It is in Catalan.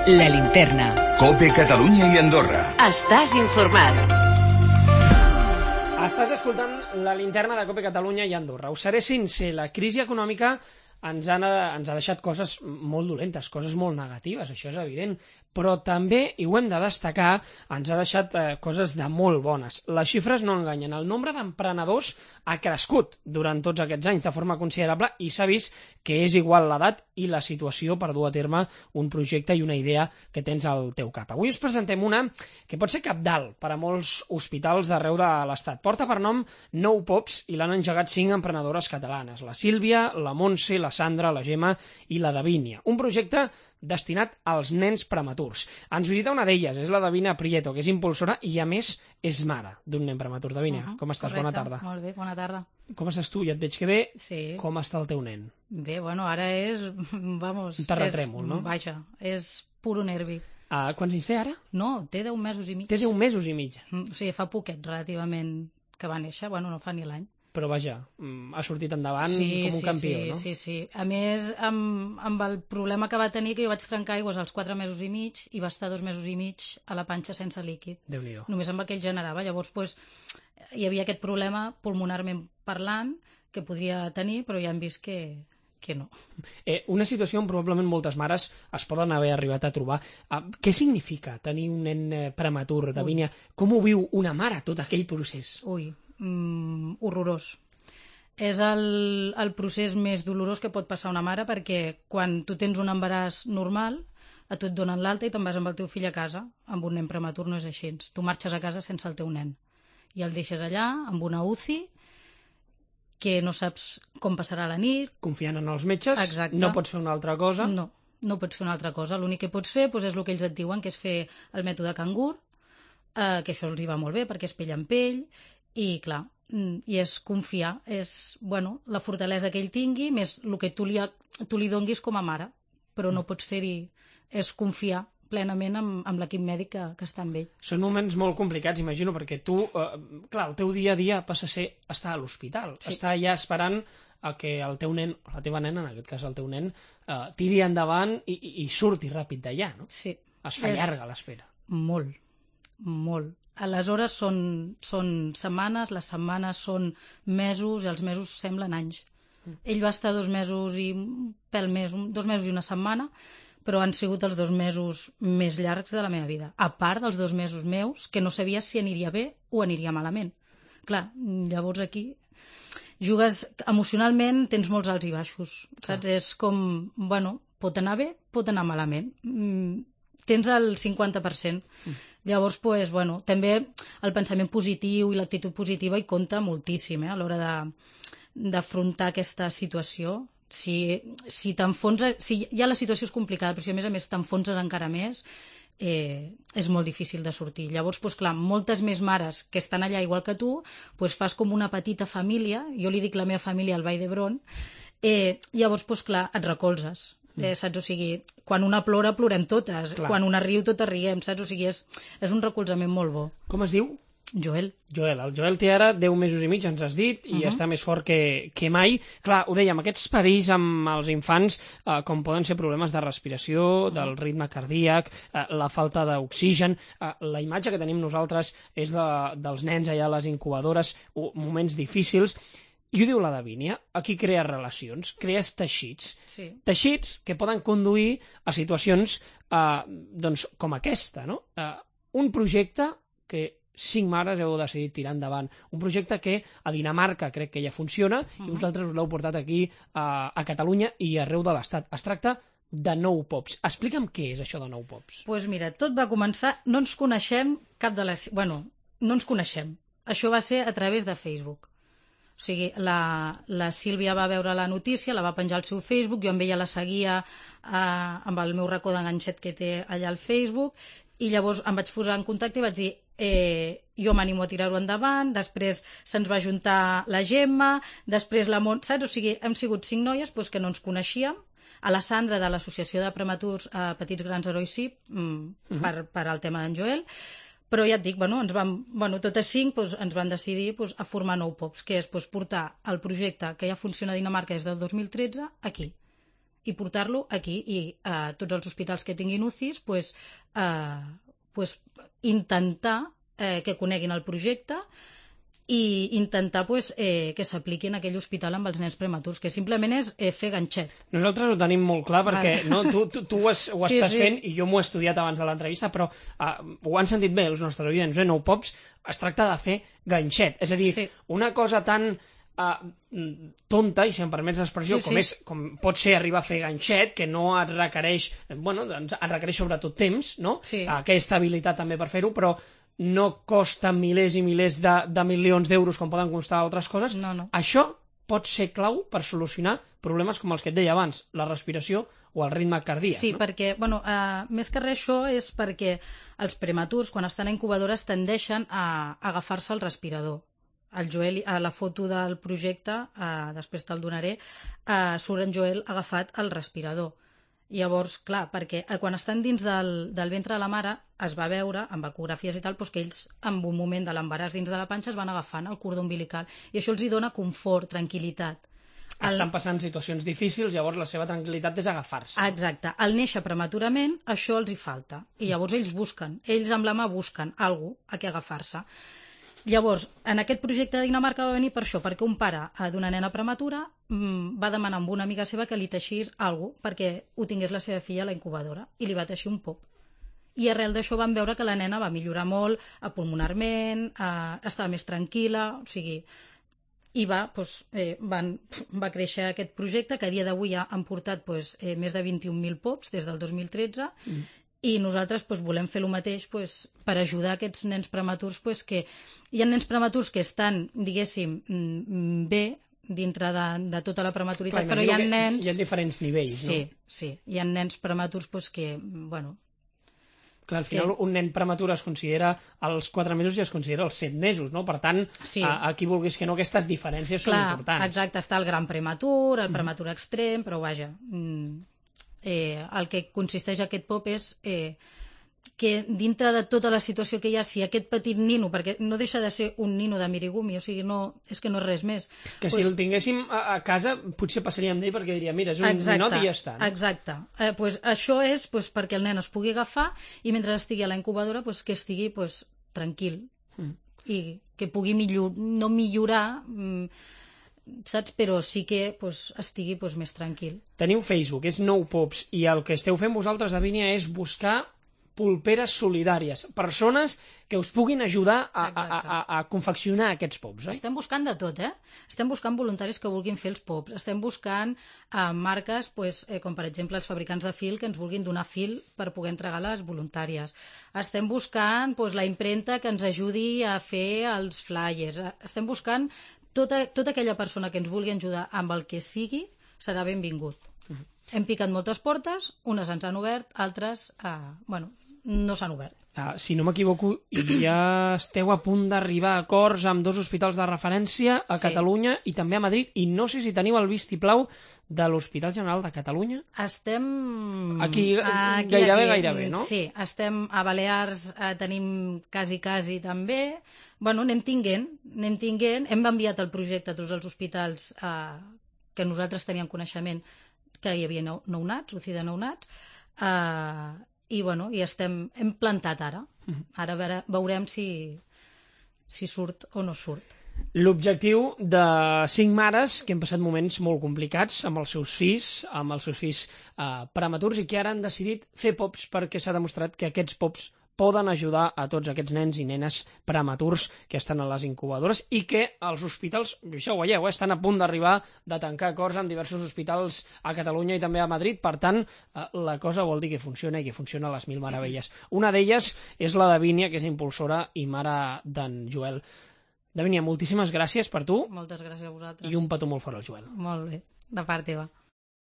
La Linterna. COPE Catalunya i Andorra. Estàs informat. Estàs escoltant La Linterna de COPE Catalunya i Andorra. Us seré sincer, la crisi econòmica ens ha deixat coses molt dolentes, coses molt negatives, això és evident, però també, i ho hem de destacar, ens ha deixat coses de molt bones. Les xifres no enganyen. El nombre d'emprenedors ha crescut durant tots aquests anys de forma considerable i s'ha vist que és igual l'edat i la situació per dur a terme un projecte i una idea que tens al teu cap. Avui us presentem una que pot ser cabdal per a molts hospitals d'arreu de l'Estat. Porta per nom Nou Pops i l'han engegat 5 emprenedores catalanes: la Sílvia, la Montse, la Sandra, la Gemma i la Davínia. Un projecte destinat als nens prematurs. Ens visita una d'elles, és la Davínia Prieto, que és impulsora i, a més, és mare d'un nen prematur. Davínia, com estàs? Correcte. Bona tarda. Molt bé, bona tarda. Com estàs tu? Ja et veig que bé. Sí. Com està el teu nen? Bé, bueno, ara és... Vamos, un terratrèmol, no? Vaja, és puro nervi. Quants anys té ara? No, té 10 mesos i mig. Té 10 mesos i mig. O sigui, fa poquet, relativament, que va néixer. Bueno, no fa ni l'any. Però vaja, ha sortit endavant com un campió, no? Sí. A més, amb el problema que va tenir, que jo vaig trencar aigües als 4 mesos i mig i va estar 2 mesos i mig a la panxa sense líquid. Déu-n'hi-do. Només amb el que ell generava. Llavors, hi havia aquest problema pulmonarment parlant que podria tenir, però ja hem vist que no. Una situació on probablement moltes mares es poden haver arribat a trobar. Què significa tenir un nen prematur, Davínia? Com ho viu una mare, tot aquell procés? Horrorós. És el procés més dolorós que pot passar una mare, perquè quan tu tens un embaràs normal, a tu et donen l'alta i te'n vas amb el teu fill a casa. Amb un nen prematur no és així. Tu marxes a casa sense el teu nen i el deixes allà amb una UCI que no saps com passarà la nit. Confiant en els metges. Exacte. No pots fer una altra cosa. No pots fer una altra cosa. L'únic que pots fer és el que ells et diuen, que és fer el mètode cangur, que això els hi va molt bé perquè és pell en pell. I clar, i és confiar, és la fortalesa que ell tingui, més el que tu li donguis com a mare, però no pots fer-hi, és confiar plenament amb l'equip mèdic que està amb ell. Són moments molt complicats, imagino, perquè tu, clar, el teu dia a dia passa a ser estar a l'hospital, estar allà esperant a que el teu nen, o la teva nena, en aquest cas el teu nen, tiri endavant i surti ràpid d'allà, no? Sí. Es fa llarga l'espera. Molt. Les hores són setmanes, les setmanes són mesos i els mesos semblen anys. Ell va estar 2 mesos i un pèl més, 2 mesos i una setmana, però han sigut els 2 mesos més llargs de la meva vida. A part dels 2 mesos meus, que no sabia si aniria bé o aniria malament. Clar, llavors aquí jugues emocionalment, tens molts alts i baixos, saps? És com, pot anar bé, pot anar malament. Tens el 50%. Llavors, també el pensament positiu i l'actitud positiva hi compta moltíssim a l'hora d'afrontar aquesta situació. Si t'enfonses, si ja la situació és complicada, però si a més t'enfonses encara més, és molt difícil de sortir. Llavors, clar, moltes més mares que estan allà igual que tu, fas com una petita família, jo li dic la meva família al Vall d'Hebron, llavors, clar, et recolzes. Saps? O sigui, quan una plora, plorem totes. Clar. Quan una riu, totes riem, saps? O sigui, és un recolzament molt bo. Com es diu? Joel. El Joel té ara 10 mesos i mig, ens has dit, i està més fort que mai. Clar, ho dèiem, aquests perills amb els infants, com poden ser problemes de respiració, del ritme cardíac, la falta d'oxigen, la imatge que tenim nosaltres és dels nens allà a les incubadores, moments difícils. I ho diu la Davínia, aquí crees relacions, crees teixits. Sí. Teixits que poden conduir a situacions com aquesta, no? Un projecte que 5 mares heu decidit tirar endavant. Un projecte que a Dinamarca crec que ja funciona i vosaltres us l'heu portat aquí a Catalunya i arreu de l'Estat. Es tracta de Nou Pops. Explica'm què és això de Nou Pops. Doncs mira, tot va començar... No ens coneixem no ens coneixem. Això va ser a través de Facebook. O sigui, la Sílvia va veure la notícia, la va penjar al seu Facebook, jo amb ella la seguia amb el meu racó d'enganxet que té allà al Facebook, i llavors em vaig posar en contacte i vaig dir jo m'animo a tirar-ho endavant, després se'ns va juntar la Gemma, després la Mont, saps? O sigui, hem sigut 5 noies que no ens coneixíem, a la Sandra de l'Associació de Prematurs Petits Grans Herois SIP, per al tema d'en Joel, però ja et dic, totes 5 ens van decidir a formar Nou Pops, que és portar el projecte que ja funciona a Dinamarca des del 2013 aquí. i portar-lo aquí, i a tots els hospitals que tinguin UCIs intentar que coneguin el projecte i intentar que s'apliqui en aquell hospital amb els nens prematurs, que simplement és fer ganxet. Nosaltres ho tenim molt clar perquè no, tu ho estàs fent i jo m'ho he estudiat abans de l'entrevista, però ho han sentit bé els nostres oients, Nou Pops es tracta de fer ganxet, és a dir, una cosa tan tonta, i si em permets l'expressió, com pot ser arribar a fer ganxet, que no et requereix, et requereix sobretot temps, no? Aquesta habilitat també per fer-ho, però no costa milers i milers de milions d'euros com poden costar altres coses. Això pot ser clau per solucionar problemes com els que et deia abans, la respiració o el ritme cardíac. Sí, perquè, més que res això és perquè els prematurs, quan estan a incubadores, tendeixen a agafar-se el respirador. El Joel, a la foto del projecte, després te'l donaré, surt en Joel agafat al respirador. Llavors, clar, perquè quan estan dins del ventre de la mare es va veure, amb ecografies i tal, que ells, en un moment de l'embaràs dins de la panxa, es van agafant el cordó umbilical. I això els hi dona confort, tranquil·litat. Estan passant situacions difícils, llavors la seva tranquil·litat és agafar-se. Exacte. Al néixer prematurament, això els hi falta. I llavors ells amb la mà busquen alguna cosa a què agafar-se. Llavors, en aquest projecte de Dinamarca va venir per això, perquè un pare d'una nena prematura va demanar a una amiga seva que li teixís alguna cosa perquè ho tingués la seva filla a la incubadora, i li va teixir un pop. I arrel d'això vam veure que la nena va millorar molt pulmonarment, estava més tranquil·la, o sigui, i va créixer aquest projecte, que a dia d'avui ja han portat més de 21.000 pops des del 2013, i nosaltres volem fer el mateix per ajudar aquests nens prematurs, que hi ha nens prematurs que estan, diguéssim, bé dintre de tota la prematuritat, però hi ha nens... Hi ha diferents nivells, no? Sí, hi ha nens prematurs que, Clar, al final un nen prematur es considera als 4 mesos i es considera als 7 mesos, no? Per tant, aquí vulguis que no, aquestes diferències són importants. Exacte, està el gran prematur, el prematur extrem, però vaja... el que consisteix aquest pop és que dintre de tota la situació que hi ha, si aquest petit nino, perquè no deixa de ser un nino de mirigumi, o sigui, és que no és res més. Que si el tinguéssim a casa potser passaríem d'ell perquè diria, mira, és un ninot i ja està. Exacte. Això és perquè el nen es pugui agafar i mentre estigui a la incubadora que estigui tranquil i que pugui no millorar... saps? Però sí que estigui més tranquil. Teniu Facebook, és Nou Pops, i el que esteu fent vosaltres, Davínia, és buscar pulperes solidàries, persones que us puguin ajudar a confeccionar aquests pops, oi? Estem buscant de tot, Estem buscant voluntaris que vulguin fer els pops, estem buscant marques, com per exemple els fabricants de fil, que ens vulguin donar fil per poder entregar les voluntàries. Estem buscant la impremta que ens ajudi a fer els flyers. Estem buscant tota aquella persona que ens vulgui ajudar amb el que sigui serà benvingut. Hem picat moltes portes, unes ens han obert, altres no s'han obert. Si no m'equivoco, ja esteu a punt d'arribar a acords amb 2 hospitals de referència a Catalunya i també a Madrid, i no sé si teniu el vistiplau de l'Hospital General de Catalunya. Estem... Aquí gairebé, no? Sí, estem a Balears, tenim quasi també. Anem tinguent. Hem enviat el projecte a tots els hospitals que nosaltres teníem coneixement que hi havia nounats, UCI de nounats, i hem plantat ara. Ara veurem si surt o no surt. L'objectiu de 5 mares que han passat moments molt complicats amb els seus fills prematurs, i que ara han decidit fer pops perquè s'ha demostrat que aquests pops poden ajudar a tots aquests nens i nenes prematurs que estan a les incubadores, i que els hospitals, això ho veieu, estan a punt d'arribar de tancar acords amb diversos hospitals a Catalunya i també a Madrid. Per tant, la cosa vol dir que funciona, i que funciona a les mil meravelles. Una d'elles és la Davínia, que és impulsora i mare d'en Joel. Davínia, moltíssimes gràcies per tu. Moltes gràcies a vosaltres. I un petó molt fort al Joel. Molt bé, de part teva.